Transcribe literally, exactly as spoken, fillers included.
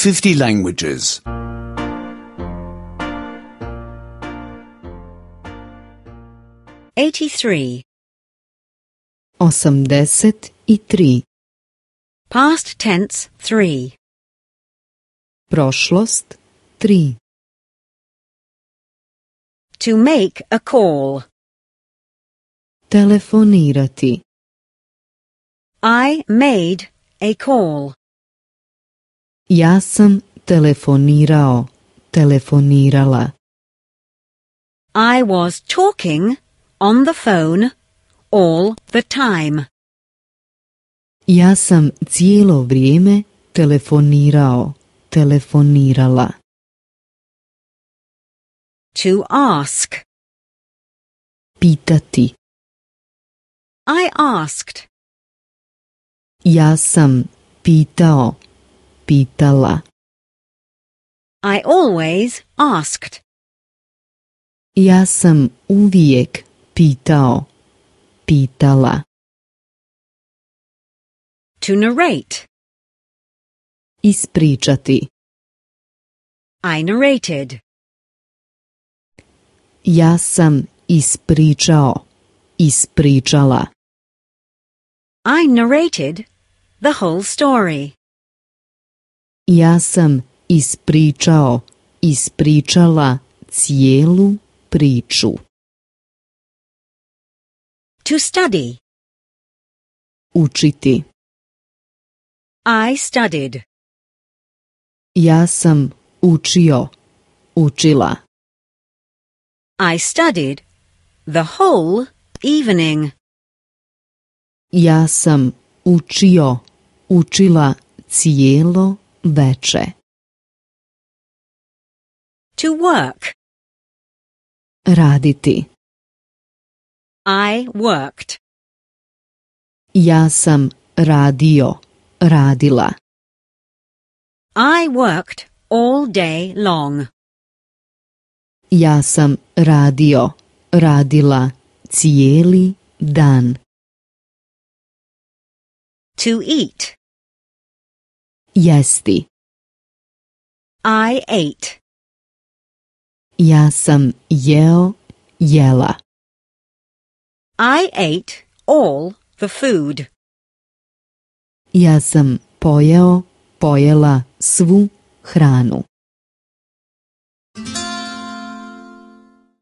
fifty languages. eighty-three. Osamdeset i tri. Past tense three. Prošlost tri. To make a call. Telefonirati. I made a call. Ja sam telefonirao, telefonirala. I was talking on the phone all the time. Ja sam cijelo vrijeme telefonirao, telefonirala. To ask. Pitati. I asked. Ja sam pitao, pitala. I always asked. Ja sam uvijek pitao, pitala. To narrate. Ispričati. I narrated. Ja sam ispričao, ispričala. I narrated the whole story. Ja sam ispričao, ispričala cijelu priču. To study. Učiti. I studied. Ja sam učio, učila. I studied the whole evening. Ja sam učio, učila cijelo veče. To work. Raditi. I worked. Ja sam radio, radila. I worked all day long. Ja sam radio, radila cijeli dan. To eat. Jesti. I ate. Ja sam jeo, jela. I ate all the food. Ja sam pojeo, pojela svu hranu.